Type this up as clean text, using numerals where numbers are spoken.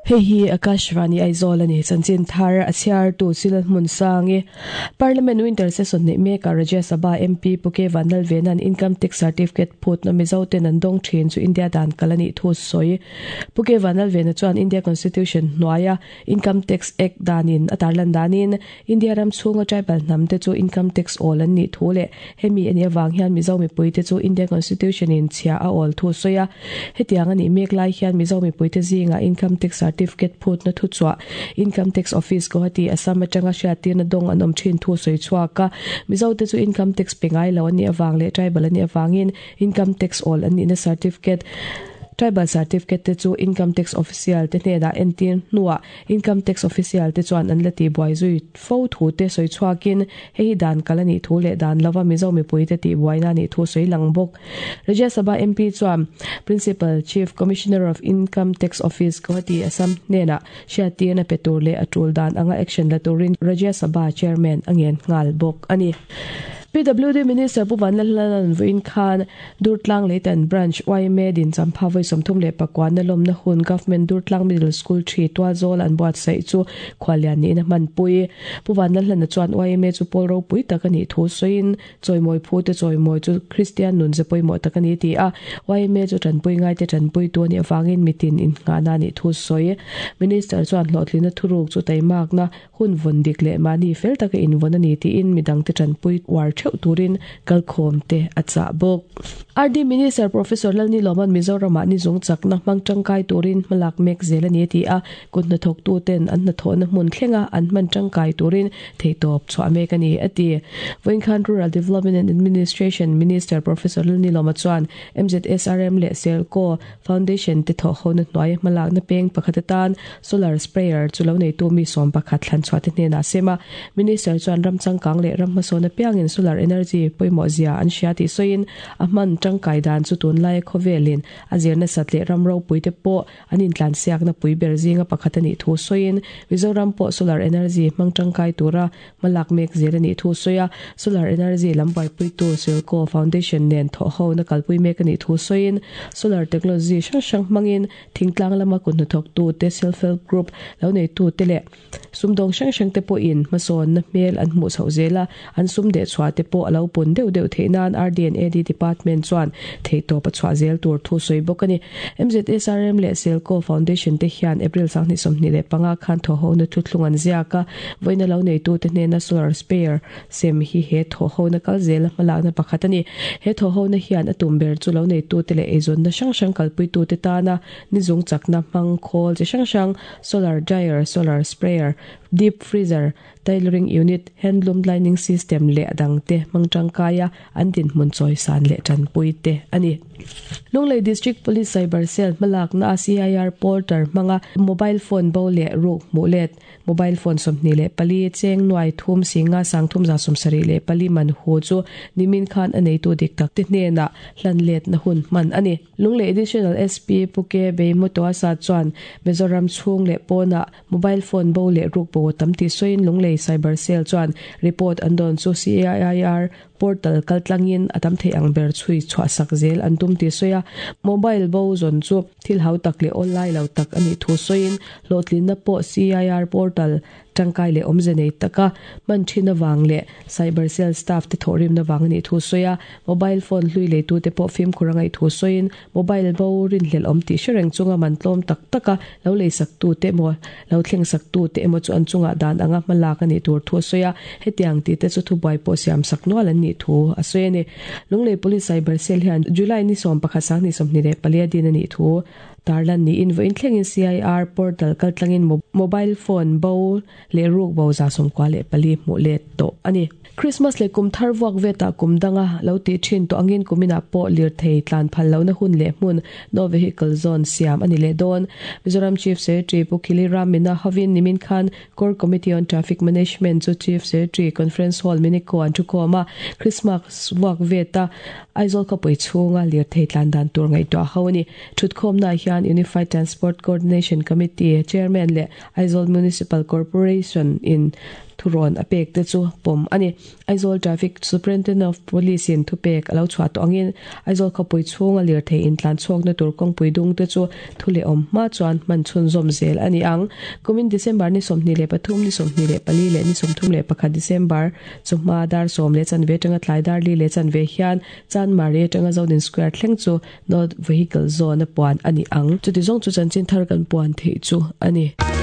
Hei hi Akashvani Aizawl a ni. Chanchin thar a chhiartu Silal Hmunsangi. Parliament Winter Session neih mekah Rajya Sabha MP Pu K Vanlalvena'n Income Tax Certificate phutna Mizo ten an dawng thin chu India dan kal a nih thu sawi. Pu K Vanlalvena chuan India Constitution hnuaia Income Tax Act danin a tarlan danin India ram chhunga tribal hnam te chu Income Tax awl an nih thu leh hemi a nih avang hian Mizo mipui te chu India Constitution in chhia a awl thu sawi a. Hetiang a nih mek lai hian Mizo mipui te zingah Income Tax Certificate phutna thu chhuah Income Tax Office Guwahati Assam atanga hriattirna dawng an awm thin thu sawi chhuak a. Mizo te chu Income Tax pe ngai lo an nih avang leh tribal an nih avangin Income Tax awl an nihna certificate Tribal Certificate te chu Income Tax Official te hnenah entir hnuah Income Tax Official te chuan an la tihbuai zui fo thu te sawi chhuakin hei hi dan kal a nih thu leh dan lova Mizo mipui te tihbuaina a nih thu sawi lang bawk. Rajya Sabha MP chuan Principal Chief Commissioner of Income Tax Office Guwahati Assam hnenah hriattirna pe tur leh a tul dan anga action la turin Rajya Sabha Chairman a ngen nghal bawk a ni. PWD Minister Pu Vanlalhlana'n vawiin khan Durtlang Leitan Branch yma din champha vawi 39 na lawmna hun Government Durtlang Middle School thi Tualzawl an buatsaih chu khuallian niin a hmanpui. Pu Vanlalhlana chuan yma chu pawl ropui tak a nih thu sawiin chawimawi phu te chawimawi chu Kristian nun ze pawimawh tak a ni ti a, yma chu tanpui ngaite tanpuitu a nih avangin mitin innghahna a nih thu sawi. Minister chuan hlawhtlinna thuruk chu taimakna Hun vawn dik leh mahni fel taka invawn a ni tiin midangte tanpui uar theuh turin kalkhawm te a chah bawk. RD Minister Professor Lalnilawman Mizoramah ni zung chakna hmang tangkai turin hmalak mek zel a ni a ti a, kut hnathawktuten an hnathawhna hmun thlenga an hman tangkai turin theihtawp chhuah mek a ni a ti. Vawinkhan Rural Development and Administration Minister Professor Lalnilawma chuan MZSRM leh Selco Foundation te thawhhona hnuaia hmalakna peng pakhat atan solar sprayer chu lo neitu mi 11 thlan chhuah te hnenah a sem a. Minister chuan ram changkang leh ram hmasawn apiangin solar energy pawimawh zia an hria tih sawiin a hman tangkai dan chu tunlaia khawvelin a zir nasat leh ram ropui te pawh an intlansiakna pui ber zinga pakhat a nih thu sawiin Mizoram pawh solar energy hmang tangkai tura Hmalak mek zel a nih thu sawi a, Solar Energy lam buaipuitu Silco Foundation nen thawhhona kalpui mek a nih thu sawiin, Solar Technology hrang hrang hmangin thingtlang lama kut hnathawktu te, Self Help Group lo neitu te leh sumdawng hrang hrang te pawhin hmasawnna hmel an hmuh chhoh zel a, an sum deh chhuah te pawh a lo pun deuh deuh theih nan RDNAD Department chuan theihtawp a chhuah zel tur thu sawi bawk a ni. MZSRM leh Selco Foundation te hian April 2025 khan thawhhona thuthlung an ziak a, Vawiina lo neitute hnena solar spare sem hi he thawhhona kal zela hmalakna pakhat a ni. He thawhhona hian a tum ber chu lo neitute leh eizawnna hrang hrang kalpuitute tana nizung chakna hmang khawl chi hrang hrang, solar dryer, solar sprayer, deep freezer, tailoring unit, handloom lining system leh a dangte hmang tangkaia an dinhmun chawisan leh tanpui te a ni. Lunglei District Police Cyber Cell hmalakna a CIR portal hmanga mobile phone bo leh ruk hmuh let Mobile phone 24, cheng nuai thum singa 374 man hu chu nimin khan a neitu dik tak te hnenah hlan letna hun hman a ni. Lunglei Additional SP Pu Ke Beimotoasa chuan Mizoram chhung leh pawnah mobile phone bo leh ruk bo a tam tih sawiin Lunglei Cyber Cell chuan report an dawn chu CAIR Portal kaltlangin a tam thei ang ber chhui chhuahsak zel an tum tih sawi a, mobile bo zawn chu thil hau tak leh awl lai lo tak a nih thu sawiin hlawhtlinna pawh CIR portal tangkai leh awmze nei taka hman thin avang leh cyber cell staff te thawhrimna vang a nih thu sawi a, mobile phone hlui leitute pawh fimkhur a ngaih thu sawiin mobile bo rinhlelh awm tih hre reng chunga man tlawm tak taka lo leisaktute emaw lo thlengsaktute emaw chu an chungah dan anga hma lak a nih tur thu a sawi a, hetiang tihte chu thubuai pawh siamsak nual an nih thu a sawi a ni. Lunglei Police Cyber Cell hian July ni 11 2024 a din a nih thu tarlan niin vawiin thlengin CIR portal kaltlangin mobile phone bo leh ruk bo 94 hmuh let tawh a ni. Krismas leh kum thar vuak vetah kum danga lo tih thin tawh angin kuminah pawh lirthei tlan phal lohna hun leh hmun No Vehicle Zone siam a ni leh dawn. Mizoram Chief Secretary Pu Khili Ram Mina hovin nimin khan Core Committee on Traffic Management chu Chief Secretary Conference Hall Miniko an thukhawm a, Krismas vuak veta Aizawl khawpui chhunga lirthei tlan dan tur ngaihtuah ho a ni. Thutkhawmnaah hian Unified Transport Coordination Committee Chairman leh Aizawl Municipal Corporation in. thurawn a pek te chu pawm a ni. Aizawl Traffic Superintendent of Police in thupek a lo chhuah tawh angin Aizawl khawpui chhunga lirthei intlan chhuakna tur kawngpui dung te chu thu leh awm hma chuan hman chhunzawm zel a ni ang. Kumin December ni 23, ni 24 leh ni 31 December chawhma dar 10 leh chanve atanga tlai dar li leh chanve hian Chanmari atanga Zodin Square thleng chu No Vehicle Zone a puan a ni ang. Chuti zawng chu chanchin thar kan puan theih chu a ni.